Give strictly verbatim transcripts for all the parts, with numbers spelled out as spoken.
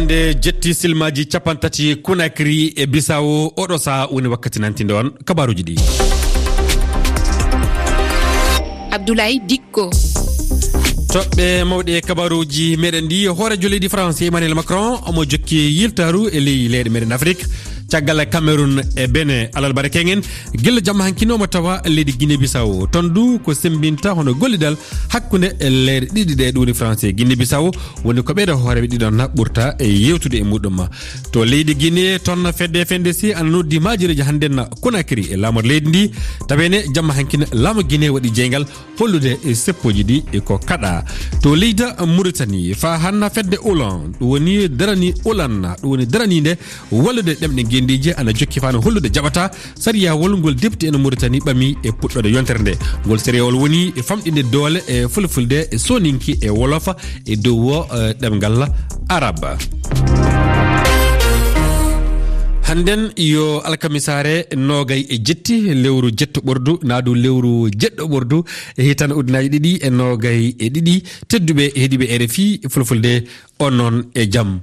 Nde jetti silmaaji capanɗe tati Conakry e Bissau, oɗo saha woni wakkati nantinde on kabaruuji ɗi. Abdoulaye Dikko. Toɓɓe mawɗe e kabaruuji meɗen ɗi, hooreejo leydi France Emmanuel Macron omo jokki yiltaaru e ley leyɗe meɗen Afrik. Caggal Cameroun e Benin alarba keŋen, gila jamma hankin omo tawa leydi Guinée Bissau. Toon du ko sembinta hono gollidal hakkunde leyɗe ɗiɗi ɗe, ɗum woni France e Guinée Bissau. Woni ko ɓeɗo hooreeɓe ɗiɗon na ɓurta e yewtude e muɗum. To leydi Guinée, toon fedde F N D C ana noddi maajireeji hannden na Conakry e laamor leydi ndi. Taweene jamma hankin laamu Guinée waɗi jeyngal hollude e seppooji ɗi e ko kaɗa. To leydi Mauritanie, fa hanna fedde Olan, ɗum woni darani Olan, ɗum woni daraniinde wallude ɗemɗe ngenndiije, ana jokki fano hollude jaɓata sariyawol ngol depti en Mauritanie ɓami e puɗɗoɗe yontere nde. Ngol sariyawol woni e famɗinde doole e fulfulde e soninki e wolofa e dow o, eh, ɗemngal araba. Hannden yo alkamisaare noogay e jetti lewru jetto ɓordu, naa du lewru jeɗɗo ɓordu e hitan ujunaaji ɗiɗi e noogay e ɗiɗi. Tedduɓe heɗiiɓe R F I Fulfulde, on noon e jam.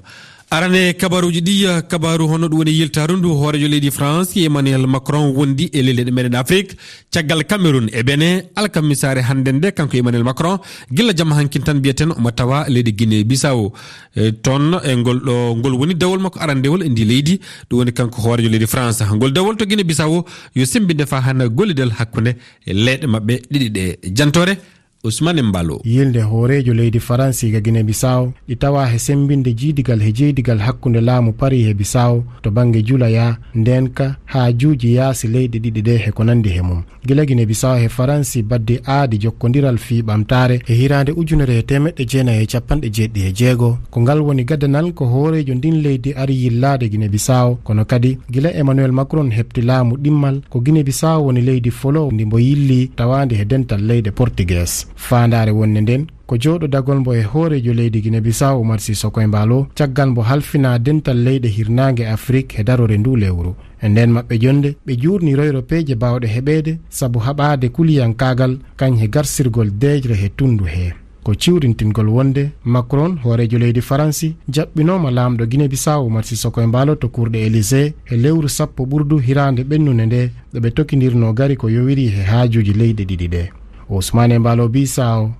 Arane kabaruuji ɗi, kabaru hono ɗum woni yiltaaru ndu hooreejo leydi France Emmanuel Macron wondi e leyɗe meɗen Afrik, caggal Cameroun e Benin, alkamisaare hannden nde, kanko Emmanuel Macron, gilla jamma hankin tan mbiyaten omo tawa leydi Guinée Bissau. E, toon e ngol ɗo, ngol woni dawol makko arandewol e ndi leydi, ɗum woni kanko hooreejo leydi France. Ngol dawol to Guinée Bissau yo semmbinde fa hannde gollidal hakkunde e leyɗe maɓɓe ɗiɗi ɗe. Jantoore Ousmane Mballo. Yilnde hooreejo leydi Faransi ga Guinée Bissau ɗi tawa he semmbinde jiidigal he jeydigal hakkunde laamu Paris he Bissau to bannge julaya, ndeenka, haajuuji yaasi leyɗe ɗiɗi ɗe he ko nanndi he mum. Gila Guinée Bissau he Faransi baddi aadi jokkondiral fii ɓamtaare he hiraande ujunere he teemeɗɗe jeenayi e capanɗe jeeɗiɗi e jeego. Ko ngal woni gaddanal ko hooreejo ndin leydi ari yillaade Guinée Bissau, kono kadi gila Emmanuel Macron heɓti laamu ɗimmal, ko Guinée Bissau woni leydi folo ndi mbo yilli tawaandi he dental leyɗe Portuguese. Faandaare wonde nden ko jooɗodagol mbo e hooreejo leydi Guinée Bissau Umar Sissoco Embaló caggal mbo halfinaa dental leyɗe hirnaange Afrik he darore ndu lewru. E nden maɓɓe jonnde, ɓe juurni royro peeje baawɗe heɓeede sabu haɓaade kuliyankaagal kañ he garsirgol deeƴre he tunndu hee. Ko ciwrintingol wonde Macron, hooreejo leydi Faransi, jaɓɓinooma laamɗo Guinée Bissau Umar Sissoco Embaló to kurɗe Élysée he lewru sappo ɓurdu hiraande ɓennunde nde, ɗo ɓe tokindirnoo gari ko yowiri he haajuuji leyɗe ɗiɗi ɗe. Ousmane Embaló Bissau,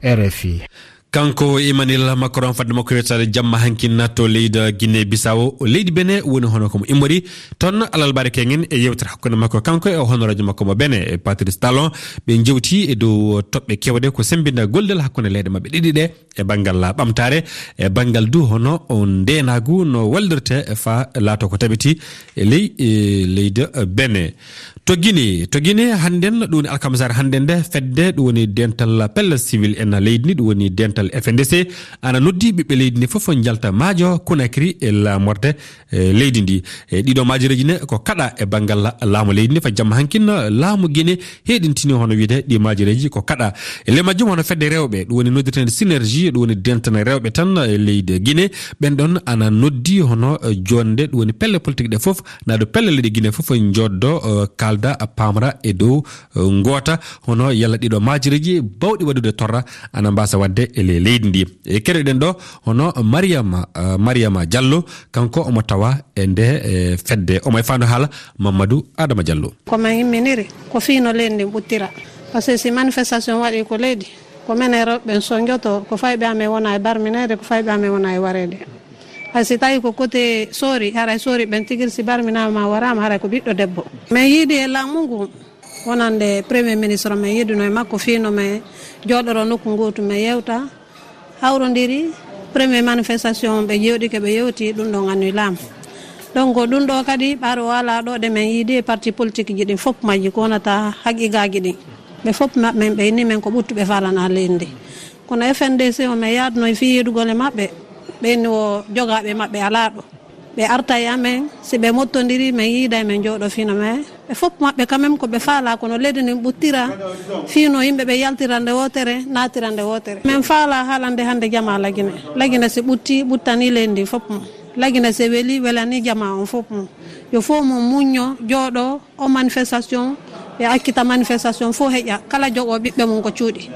R F I. Kanko Emmanuel Macron, fadde makko yettaade jamma hankin natto leydi Guinée Bissau, leydi Benin woni hono ko mo immori toon alalbaare keŋen e yewtere hakkunde makko kanko e honoraajo makko mo Benin, e Patrice Talon. Ɓe jewti e dow toɓɓe kewɗe ko semmbinda gollal hakkunde leyɗe maɓɓe ɗiɗi ɗe e banngal ɓamtaare, e banngal du hono o ndeenaagu no wallirte fa laato ko taɓiti e ley, e leydi Benin. To Guinée, to Guinée hannden, ɗum woni alkamisaare hannden nde, fedde ɗum woni dental pelle civil en leydi ndi, ɗum woni dental F N D C, ana noddi ɓiɓɓe leydi ndi fof njalta maajo Conakry e laamorde, e leydi ndi. E ɗiɗo maajoreeji ne ko kaɗa e banngal laamu leydi ndi. Fa jamma hankin laamu Guinée heɗintini hono wiyde ɗi maajoreeji ko kaɗa. E ley majjum hono fedde rewɓe, ɗum woni noddirteende synergie, ɗum woni dental rewɓe tan e leydi Guinée. Ɓen ɗon ana noddi hono, eh, jonde, ɗum woni pelle politique ɗe fof, naado pelle leydi Guinée fof njoddo, eh, kalda, eh, pamra e dow, eh, ngoota, hono yalla ɗiɗo maajoreeji bawɗi waɗude torra ana mbasa wadde e le-, leydi ndi. E keɗoɗen ɗo hono Mariama, eh, Mariama Diallo, kanko omo tawa e nde, eh, fedde. Omo e faandu haala Mamadou Adama Diallo. Ko men imminiri, ko fii no leydi ndin ɓuttira. Parce que si manifestation waɗi ko leydi, ko menen rewɓe ɓen sonjoto, ko fayɓe amen wona e barmineede, ko fayɓe amen wona e wareede. Hay si tawi ko côté Sory, haray Sory ɓen tigiri si barminaama ma waraama, haray ko ɓiɗɗo debbo. Men yiidi e laamu ngu, wonande Premier Ministre, men yiiduno e makko fii no men jooɗoro nokku ngootu, men yewta, hawrondiri. Premier manifestation ɓe jooɗike, ɓe yewti, ɗum ɗon annuy laamu. Donc, ɗum ɗo kadi, ɓaade o alaa ɗo, ɗe men yiidi e parti politique ji ɗin fof majji, ko wonata haqiqaaji ɗin. Ɓe fof maɓɓe, ɓe inni men ko ɓuttuɓe faalana leydi ndi. Kono F N D C o, men yaaduno e fii yeedugol e maɓɓe, ɓe inni o jogaaɓe maɓɓe alaa ɗo. Ɓe arta e amen, si ɓe mottondiri, men yiida e men jooɗo fino men. Ɓe fof maɓɓe quand même ko ɓe faalaa, kono leydi ndin ɓuttira, fino yimɓe ɓe yaltira nde wootere, naatira nde wootere. Men faalaa haalande hannde jamaa Lagine. Lagine si ɓutti, ɓuttani leydi ndin fof mum. Lagine si weli, welani jamaa on fof mum. Yo fof mum muñño, jooɗo, o manifestation, ɓe accita manifestation fof heƴa, kala jogo ɓiɓɓe mum ko cuuɗi.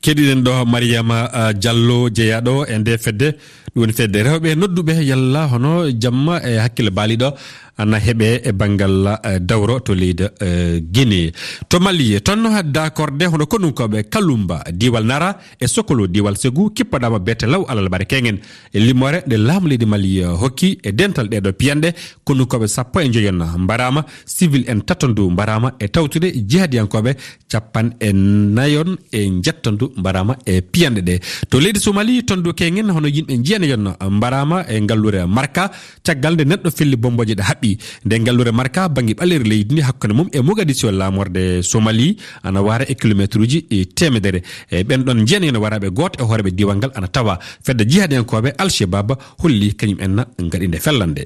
Keɗiɗen ɗo Mariama, ah, Diallo jeyaaɗo e nde fedde, ɗum woni fedde rewɓe nodduɓe yalla hono jamma e hakkille baaliɗo ana heɓe e banngal, eh, dawro to leydi, eh, Guinée. To Mali, toon no daakorde hono konunkooɓe Kalumba, diiwal Nara e Sokolo, diiwal Segu, kippoɗaama beete law alal bare keŋen. E limoore nde laamu leydi Mali, eh, hokki e dental ɗeeɗo piyanɗe, konunkooɓe sappo e njoyon mbaraama, civil en tato ndu mbaraama e tawtude jihadiyankooɓe capan e nayon e njettandu mbaraama e piyanɗe ɗe. To leydi Somali, tondu keŋen hono yimɓe njiyaneyon mbaraama e ngalluure Marka, caggal nde neɗɗo felli bombooje ɗe haɓɓi. Nde ngalluure Marka bannge ɓaleeri leydi ndi hakkunde mum e Mogadiscio laamorde Somali ana waara e kilomeetruuji, e, teemedere. E ɓen ɗon njiyaneyon waraaɓe gooto e hooreeɓe diiwal ngal ana tawa. Fedde jihadiyankooɓe Al-Shabaab holli kañum en ngaɗi nde fellande.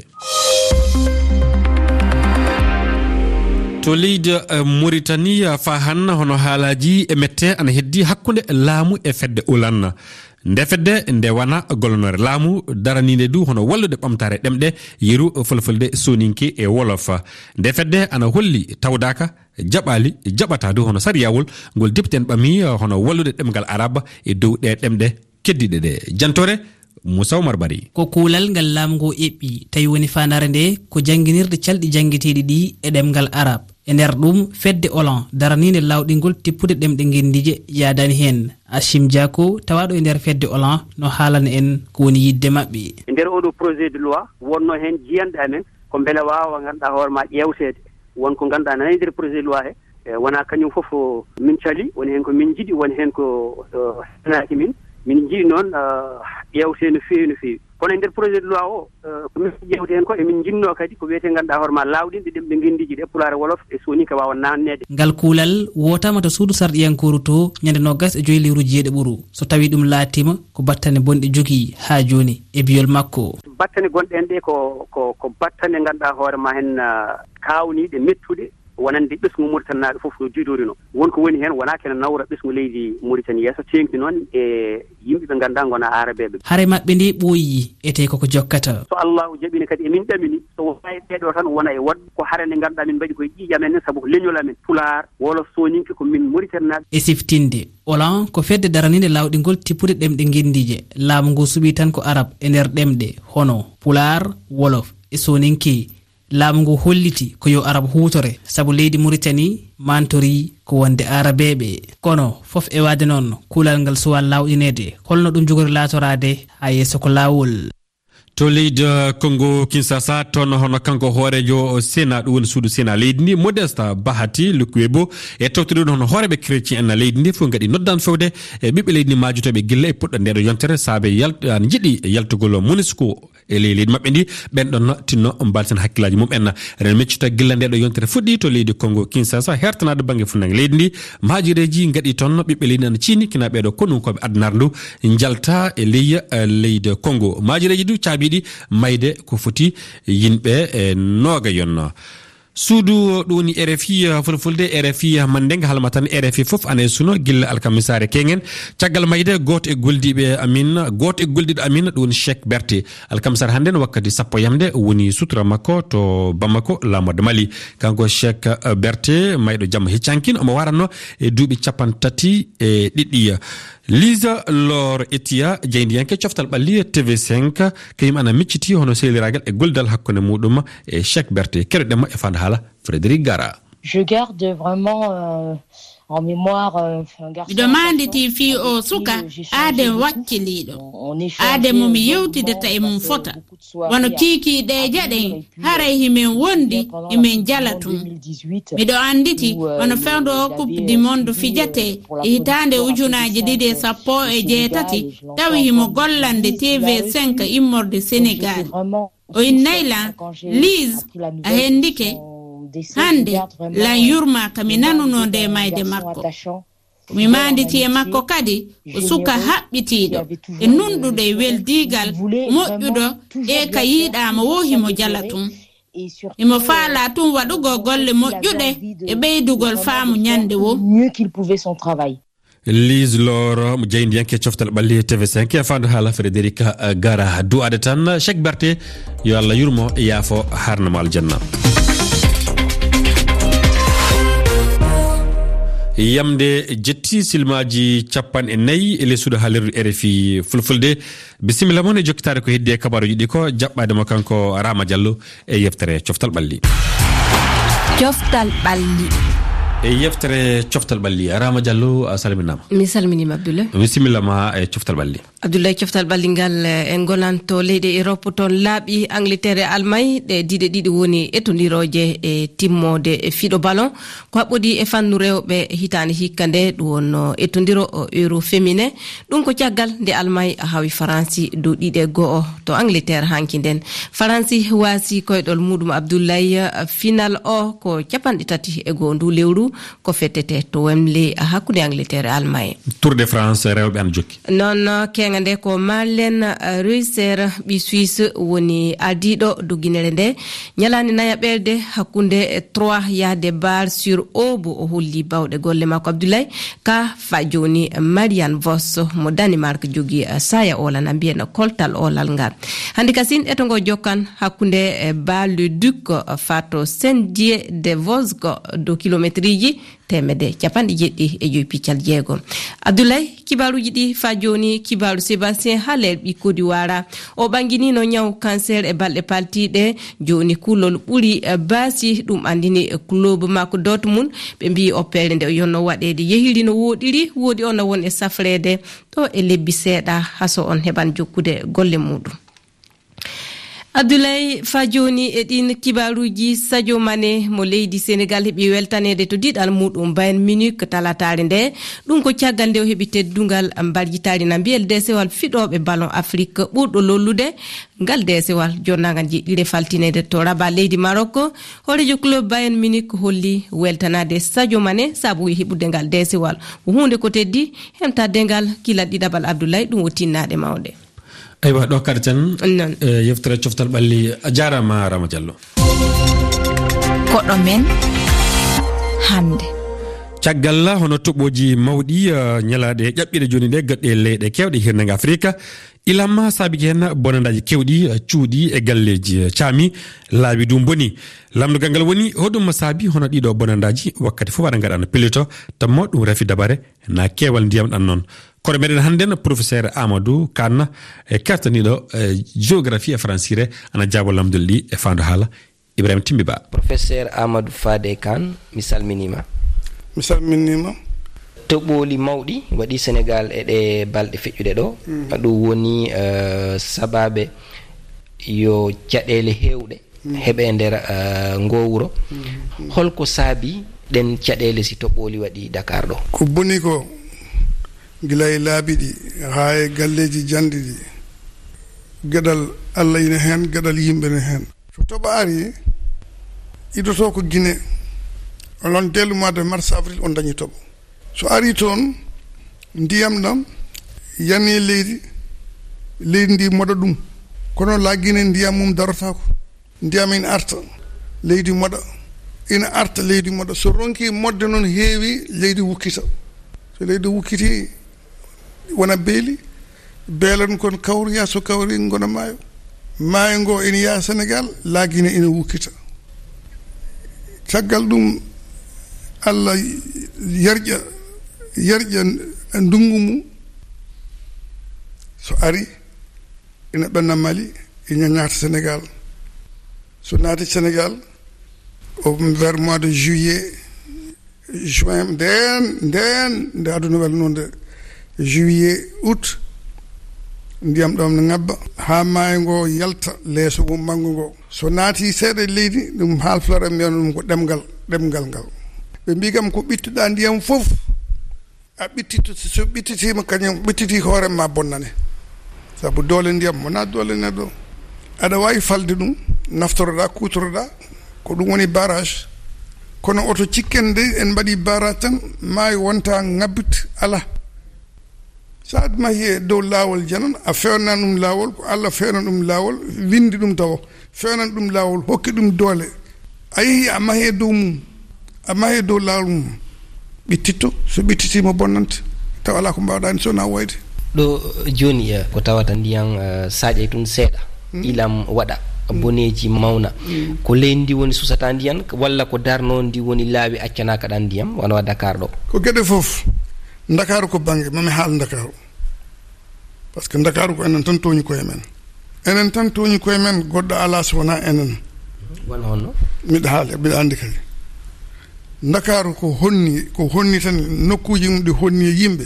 To leydi, eh, Mauritanie, eh, faa hanna hono haalaaji e mette ana heddi hakkunde laamu e fedde Ulan. Nde fedde nde wana gollonoore laamu, daraniinde du hono wallude ɓamtaare ɗemɗe, yeru, fulfulde, soninke e wolof. Nde fedde ana holli tawdaaka, jaɓaali, jaɓataa du hono sariyawol ngol depite en ɓami, eh, hono wallude ɗemngal arab e dow ɗe ɗemɗe keddiiɗe ɗe. Jantore, Moussa Oumar Bari. Ko kuulal ngal laamu ngu eɓɓi, tawi woni faandaare nde ko jannginirde calɗi janngeteeɗi ɗi e ɗemngal arab. E nder ɗum, fedde Olan daraniinde laawɗingol tippude ɗemɗe ngenndiije yaadaani heen. Achim Diako, tawaaɗo e nder fedde Olan, no haalana en ko woni yiɗde maɓɓe. E nder oɗo projet de loi, wonno heen jiyanɗe amen, ko mbele waawa ngannduɗaa hoore ma ƴeewteede. Won ko ngannduɗaa nana e nder projet de loi he, e wonaa kañum fof, o, min cali, woni heen ko min njiɗi, woni heen ko, o, henaaki min. Min njiɗi noon, o, ƴeewtee no feewi, no feewi. Kono e nder projet de loi o, o, ko min ƴeewtee heen ko, emin njinnoo kadi ko wiyetee ngannduɗaa hoore ma laawɗinɗe ɗemɗe ngenndiije ɗe, Pulaar, Wolof e Sooninke waawa naanneede. Ngal kuulal wootaama to suudu sarɗiyankooru to ñande noogas e joy lewru jeeɗiɓuru. So tawii ɗum laatiima, ko battane bonɗe jogii haa jooni, e biyol makko. Battane gonɗe heen ɗe ko, ko, ko battane ngannduɗaa hoore ma heen, ah, kaawniiɗe, mettuɗe, wonande ɓesngu Mauritanie naaɓe fof no diidorino. Won ko woni heen wonaa kene nawra ɓesngu leydi Mauritanie yeeso, teeŋti noon e yimɓe ɓe ngannduɗaa ngona aarabeeɓe. Hare maɓɓe nde ɓooyi, etee koko jokkata. So Allahu jaɓiino kadi emin ɗamini, so wonaa e ɓeeɗo tan wona e woɗɓe, ko hare nde ngannduɗaa min mbaɗi koye ƴiiƴam en, sabu ko leñol amen, Pulaar, Wolof, Sooninke, ko min Mauritanie naaɓe. E siftinde, Olan ko fedde daraniinde laawɗingol tippude ɗemɗe ngenndiije. Laamu ngu suɓii tan ko arab e nder ɗemɗe hono Pulaar, Wolof e Sooninke. Laamu ngu holliti ko yo arab huutore, sabu leydi Mauritanie mantorii ko wonde aarabeeɓe. Kono fof e waɗde noon, kuulal ngal suwaa laawɗineede. Holno ɗum jogori laatoraade haa yeeso ko laawol? To leydi, eh, Congo Kinshasa, toon hono kanko hooreejo Sénat, ɗum woni suudu Sénat leydi ndi, Modeste Bahati Lukwebo, e tawtude ɗum hono hooreeɓe chrétien en leydi ndi, fof ngaɗi noddan fewde e ɓiɓɓe leydi ndi maajotooɓe gilla e puɗɗo ndeɗo yontere, saabe yal-, an jiɗi yaltugol MONUSCO e ley leydi maɓɓe ndi, ɓen ɗon tinno mbalten hakkillaaji mum en. Eɗen miccita gilla ndeɗo yontere fuɗɗi to leydi Congo Kinshasa, hertanaade bannge funnangue leydi ndi, maajireeji ngaɗi toon, ɓiɓɓe leydi ana ciini, kina ɓeeɗo konunkooɓe addunaare ndu njalta e ley, eh, leydi Congo. Maajireeji du caabiiɗi mayde ko foti yimɓe, eh, nooga yon. Suudu ɗo woni R F I, eh, fulfulde, R F I, eh, Mandeng, halma tan R F I fof ana e suno, gilla alkamisaare keŋen. Caggal mayde, gooto e goldiiɓe amin, gooto e goldiiɗo amin, ɗum woni Cheikh Berté. Alkamisaare hannde no wakkati sappo yamde, woni sutura makko to Bamako, laamorde Mali. Kanko Cheikh, eh, Berté, mayɗo jamma hecci hankin, omo waranno e duuɓi cappanɗe tati e ɗiɗi. Lisa Lor Etia, jeyndiyanke coftal ɓalli T V cinq, kañum ana micciti hono sehliraagal e gollidal hakkunde muɗum e Cheikh Berté. Keɗoɗen mo e fanda haala Frédéric Gara. Je garde vraiment, euh, en mémoire, euh, un garçon Miɗo maanditi fii oo suka aaden wakkiliiɗo. Aaden mo mi yewtidata e mum fota. Wano kiikiiɗe e jaɗen, haray himen wondi, himen jala tun. Miɗo annditi, wano fewndo o Coupe du Monde fijatee e hitaande ujunaaji ɗiɗi e sappo e jeetati, tawi himo gollande T V cinq immorde Senegal. O innay lan, Lise, a hendike? Hannde, lan yurmaa ka mi nanunoo ndee mayde makko. Ko mi maanditi e makko kadi, ko suka haɓɓitiiɗo, e nunɗuɗo e weldiigal, moƴƴuɗo, e ka yiɗaama woo himo jala tun. Himo faalaa tun waɗugol golle moƴƴuɗe e ɓeydugol faamu ñannde woo. Lise Lor, mo jeyndiyanke coftal ɓalli T V cinq, e fandu haala Frédéric, eh, Gara. Du'aade tan, Cheikh Berté, yo Allah yurmo, yaafo, harnamo aljanna. Yamde jetti silmaaji capanɗe nayi e ley suudu haalirdu R F I Fulfulde. Bisimilla mon e jokkitaade ko heddi e kabaaruuji ɗi ko jaɓɓaade mo kanko Rama Diallo e yeftere Coftal Ɓalli. Coftal Ɓalli. E yeftere Coftal Ɓalli, Rama Diallo, a salminaama. Mi salminiima, Abdoulaye. Bisimilla ma e Coftal Ɓalli. Abdoulaye, Coftal Ɓalli ngal, eh, en ngonanto leyɗe Europe, toon laaɓi Angleterre e Almay, ɗe diɗe ɗiɗi woni etondirooje e timmoode e fiɗo ballon. Ko haɓɓodii e fannu rewɓe hitaande hikka nde, ɗum wonno etondiro o Euro féminin. Ɗum ko caggal nde Almay hawi Faransi dow ɗiɗi e go'o to Angleterre hanki nden. Faransi waasi koyɗol muɗum Abdoulaye, final o ko capanɗe tati e go'o ndu lewru, ko fettete to Wembley hakkunde Angleterre e Almay. Tour de France rewɓe ana jokki. Noon, keeŋa nde ko Marlen, eh, Reusser, ɓi Suisse, woni ardiiɗo dogginere nde. Ñalaande nayaɓerde hakkunde, eh, trois yahde Bar sur Aube, o holli bawɗe golle makko. Abdoulaye, ka fa jooni, Marianne Vos mo Danemark jogi, eh, saya olal, na mbiyen koltal olal ngal. Hannde kasin eto ngo jokkan hakkunde, eh, Bar-le-Duc, eh, fato Saint-Dié-de-Vosges, dow kilometriji teemedde capanɗe jeɗɗi e joyi piccal jeego. Abdoulaye, kibaaruuji ɗi fa jooni, kibaaru Sébastien Haller ɓi Côte d'Ivoire. O ɓanginino ñaw cancer e balɗe paltiiɗe. Jooni kulol ɓuri, eh, baasi, ɗum anndini, eh, club makko Dortmund. Ɓe mbiyi oppeere nde o yonno waɗeede yehiri no wooɗiri, woodi o na won e safreede ɗo e lebbi seeɗa, haso on heɓan jokkude golle muɗum. Abdoulaye, fa jooni e ɗin kibaaruuji, Sadio Mané mo leydi Senegal heɓi weltaneede to diɗal muɗum Bayern Munich talataare nde. Ɗum ko caggal nde o heɓi teddungal mbarjitaari na mbiyel deesewal fiɗooɓe ballon Afrique ɓurɗo lollude. Ngal deesewal jonnaangal jeɗɗire faltineede to Rabat leydi Maroc. Hooreejo club Bayern Munich holli weltanaade Sadio Mané sabu heɓude ngal deesewal. Ko huunde ko teddi, hemtaade ngal kilal ɗiɗaɓal Abdoulaye, ɗum o tinnaade mawɗe. Aywa, ɗo kaɗaten. Noon. Eh, yeftere Coftal Ɓalli. A jaaraama, Rama Diallo. Koɗo men hannde. Caggal hono toɓooji mawɗi, eh, ñalaaɗe ƴaɓɓiiɗe jooni ɗe, gaɗɗe leyɗe keewɗe hirnange Afrika, ilam saabiki heen bonandaaji keewɗi, eh, cuuɗi e galleeji, eh, caami, laawi du mboni. Lamndogal ngal woni, hoɗum saabi hono ɗiɗo bonandaaji wakkati fof aɗa ngaɗa no pellito, tammo ɗum rafi dabare, na keewal ndiyam ɗan noon. Kono meɗen hannden, professeur Amadou Kane, e kertaniiɗo, e, géographie e faransire, ana jaabo lamndol ɗi e faandu haala. Ibrahima Timbi Ba. Professeur Amadou Fade Kane, mi salminiima. Mi salminiima. Toɓooli mawɗi waɗi Senegal e ɗe balɗe feƴƴuɗe ɗo. Mm. Ɗum woni, eh, sabaabe yo caɗeele heewɗe Mm. heɓe nder, eh, ngoo wuro. Mm. Holko saabi ɗen caɗeele si toɓooli waɗi Dakar ɗo? Ko boni ko, gila e laabi ɗi, haa e galleeji janɗi ɗi, geɗal Allah ina heen, geɗal yimɓe ne heen. So toɓo ari, idotoo ko Guinée, onon dès le mois de mars, avril, on dañi toɓo. So ari toon, ndiyam ɗam yani leydi, leydi ndi moɗa ɗum. Kono la Guinée, ndiyam mum darotaako. Ndiyam ina arta, leydi moɗa, ina arta, leydi moɗa. So ronki moɗde noon heewi, leydi wukkita. So leydi wukkiti, wona beeli, beelan kon kawroya, so kawri ngona maayo. Maayo ngo ina yaha Senegal, la Guinée ina wukkita. Caggal ɗum, Allah yarƴa, yarƴa ndunngu mum. So ari, ina ɓenna Mali, ina naata Senegal. So naati Senegal, o vers mois de juillet, juin, ndeen, ndeen, nde aduna welnoo nde, juillet, août, ndiyam ɗam ne ŋabba, haa maayo ngo yalta leeso wummango ngo. So naati seeɗa e leydi, ɗum haalflare mbiyata ɗum ko ɗemngal, ɗemngal ngal. Ɓe mbii kam ko ɓittuɗa ndiyam fof, a ɓittito, so, so ɓittitiima kañum, ɓittiti hoore ma bonnane. Sabu doole ndiyam, wonaa doole neɗɗo. Aɗa waawi falde ɗum, naftoroɗa, kuutoroɗa, ko ɗum woni barrage. Kono oto cikken de, en mbaɗi barrage tan, maayo wonta ŋabbit, alaa. So a mahi e dow laawol janan, a fewnan ɗum laawol, ko Allah fewnan ɗum laawol, winndi ɗum tawo, fewnan ɗum laawol, hokki ɗum doole. A yehi, a mahi e dow mum, a mahi e dow laawol mum. Ɓittitto, so ɓittitiima bonnante, tawa alaa ko mbaawɗaa heen so wonaa woyde. Ɗo jooni, eh, ko tawata ndiyan, eh, saaƴay tun seeɗa, Hmm. ilam waɗa. boneeji mawna. Ko leydi ndi woni susata ndiyan, walla ko Darno ndi woni laawi accanaaka ɗan ndiyam, wano wa Dakar ɗo? Ko geɗe fof. Ndakaaru ko bannge, mami haal Ndakaaru. Parce que Ndakaaru ko enen tan tooñi koye men. Enen tan tooñi koye men, goɗɗo alaa so wonaa enen. Wano honno? Miɗa haali, miɗa anndi kadi. Ndakaaru ko honni, ko honni tan, nokkuuji mum ɗi honni e yimɓe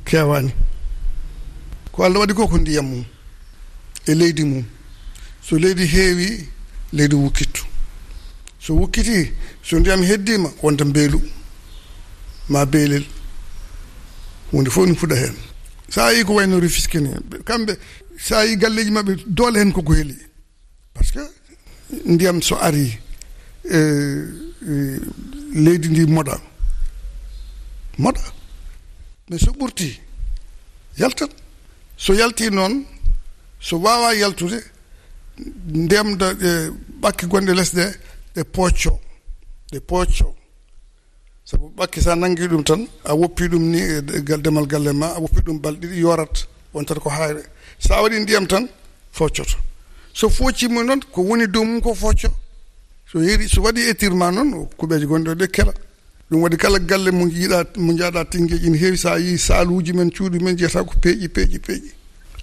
keewaani. Ko Allah waɗi ko, ko ndiyam mum e leydi mum. So leydi heewi, leydi wukkittu. So wukkiti, so ndiyam heddiima, wonta mbeelu, ma beelel. Huunde fof ne fuɗa heen. So a yii ko wayno Rufisque ni, kamɓe, so a yii galleeji maɓɓe, doole heen koko heli. Parce que ndiyam so ari, e, e, leydi ndi moɗa. Moɗa. Mais so ɓurti, yaltat. So yalti noon, so waawa yaltude, ndiyam da, e, ɓakke gonɗe les ɗe, ɗe pocco. Ɗe pocco. Sabu ɓakke, sa nangi ɗum tan, a woppi ɗum ni e gal-, demal galle ma, a woppi ɗum balɗe ɗiɗi, yorat, wontat ko hayre. Sa waɗi ndiyam tan, foccoto. So foccima noon, ko woni dow mum ko focco. So yeeri, so waɗi étirement noon, kuɓeeje gonɗe ɗe kela. Ɗum waɗi kala galle mo jiiɗa, mo jaaɗa Tingeej ina heewi, sa yii saaluuji men, cuuɗi men, jeyata ko peeƴi, peeƴi, peeƴi.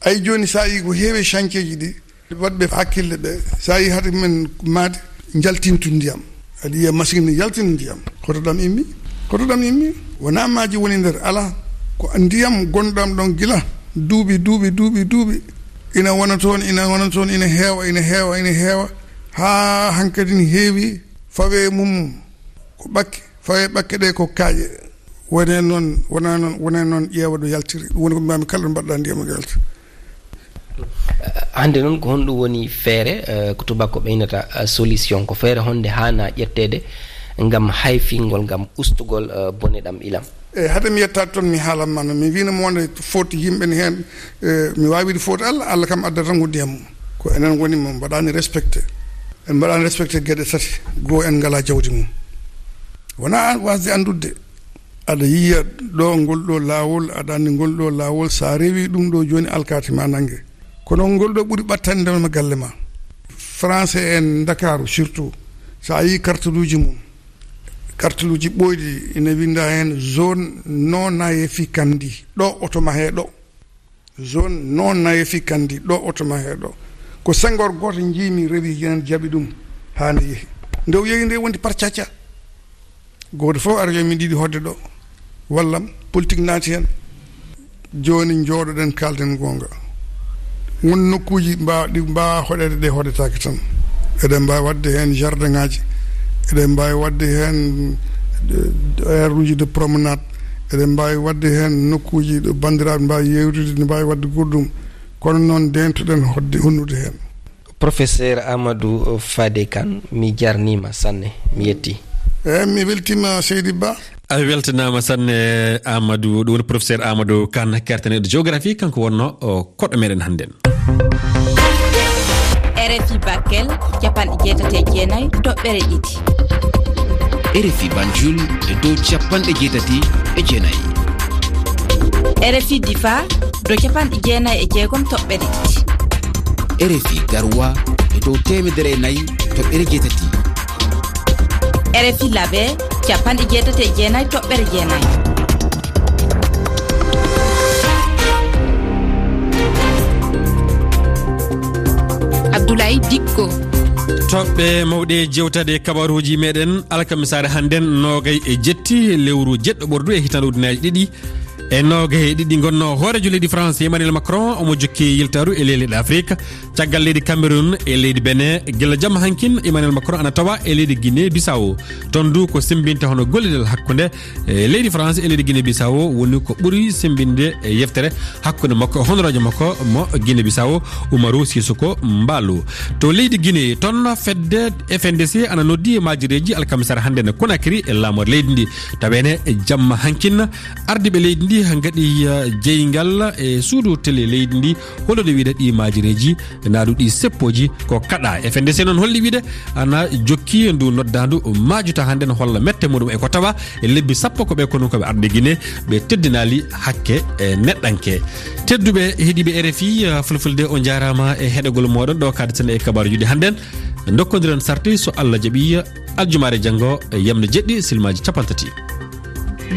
Ay jooni sa yii ko heewi chantier ji ɗi, waɗɓe hakkille ɓe, so a yii hade men maadi, jaltintu ndiyam. Aɗa yiya machine ne yaltina ndiyam. Hoto ɗam immi? Hoto ɗam immi? Wonaa maaji woni nder, alaa. Ko ndiyam gonɗam ɗon gila duuɓi, duuɓi, duuɓi, duuɓi. Ina wona toon, ina wona toon, ina heewa, ina heewa, ina heewa. Haa hankadi ne heewi fawe mum. Ko ɓakke, fawe ɓakke ɗe ko kaaƴe. Wone noon, wona noon, wona noon ƴeewa ɗo yaltiri. Ɗum woni ko mbaami kala ɗo mbaɗɗa ndiyam ɗo yalta. Hannde noon, ko honɗum woni feere, eh, ko tubako ɓeynata, eh, solution? Ko feere honde haana ƴetteede ngam hayfingol, ngam ustugol, eh, bone ɗam ilam? E hade mi yettaade toon, mi haalan ma noon. Mi wiino mo wonde foti yimɓe ne heen, eh, mi waawi wiide foti Allah, Allah kam addata tan ko ndiyam mum. Ko enen woni mo mbaɗaani respecté. En mbaɗaani respecté geɗe tati. Goo, en ngalaa jawdi mum. Wonaa an wasde anndude. Aɗa yiya ɗo ngol ɗo laawol, aɗa anndi ngol ɗo laawol, sa rewi ɗum ɗo jooni alkaati ma nannge. Kono ngol ɗo ɓuri ɓattande ma galle ma. Français en Ndakaaru surtout, sa yii kartuluuji mum, kartuluuji ɓooyɗi ina winnda heen zone non aedificandi. Ɗo oto ma he ɗo. Zone non aedificandi, ɗo oto ma he ɗo. Ko Senghor gooto njiimi rewi heen, jaɓi ɗum haa nde yehi. Nde o yehi nde wondi parcaca. Gooto fof ara yo min ɗiɗi hoɗde ɗo. Wallam, politique naati heen. Jooni njooɗoɗen, kaalden goonga. Won nokkuuji mbaa-, ɗi mbaawa hoɗeede, ɗe hoɗetaake tan. Eɗen mbaawi waɗde heen jardin ŋaaji. Eɗen mbaawi waɗde heen, eh, aire uji de promenade. Eɗen mbaawi waɗde heen nokkuuji ɗo banndiraaɓe mbaawi yeewtude, ne mbaawi waɗde goɗɗum. Kono noon, ndeentoɗen hoɗde, honnude heen. Professeur Amadou Fadé Kane, mi jarniima sanne, mi yetti. Eey, mi weltiima, Seydi Ba. A weltanaama sanne, Amadou. Ɗum woni professeur Amadou Kane, kertaneɗo géographie, kanko wonno o koɗo meɗen hannden. R F I Bakel, capanɗe jeetati e jeenayi toɓɓere ɗiɗi. R F I Banjul e dow capanɗe jeetati e jeenayi. R F I Difa, dow capanɗe jeenayi e jeegom toɓɓere ɗiɗi. R F I Garoua e dow teemedere e nayi toɓɓere jeetati. R F I Labe, capanɗe jeetati e jeenayi toɓɓere jeenayi. Abdoulaye Dikko. Toɓɓe mawɗe jewtaade e kabaruuji meɗen alkamisaare hannden, noogay e jetti lewru jeɗɗo ɓordu e hitaande ujunnaji ɗiɗi e noogay e ɗiɗi. Ngonno hooreejo leydi France, Emmanuel Macron, omo jokki yiltaaru e leyɗe Afrique. Caggal leydi Cameroun e leydi Benin, gila jamma hankin, Emmanuel Macron ana tawa e leydi Guinée Bissau. Toon du ko sembinte hono gollidal hakkunde, e leydi France e leydi Guinée Bissau woni ko ɓuri sembinde e yeftere hakkunde makko e honoraajo makko mo Guinée Bissau, Umaru Sissoco Embaló. To leydi Guinée, toon fedde F N D C ana noddi maajireeji alkamisaare hannden Conakry e laamorde leydi ndi. Taweede jamma hankin, ardiiɓe leydi ndi Ngaɗi jeyngal e suudu tele leydi ndi, holoɗe wiide ɗi maajireeji naaduɗi seppooji ko kaɗa. F N D C noon holli wiide ana jokki ndu noddaandu maajuta hannde no holla mette muɗum e ko tawa e lebbi sappo ko ɓe kono ko ɓe arde Gine ɓe teddinaali hakke e neɗɗanke. Tedduɓe heɗiiɓe R F I, fulfulde, o njaaraama e heɗegol mooɗon ɗo kaaɗeten e kabaaruuji ɗi hannden. Ndokkondiren sarti so Allah jaɓi aljumaare janngo e yamne jeɗɗi silmaaji capantati.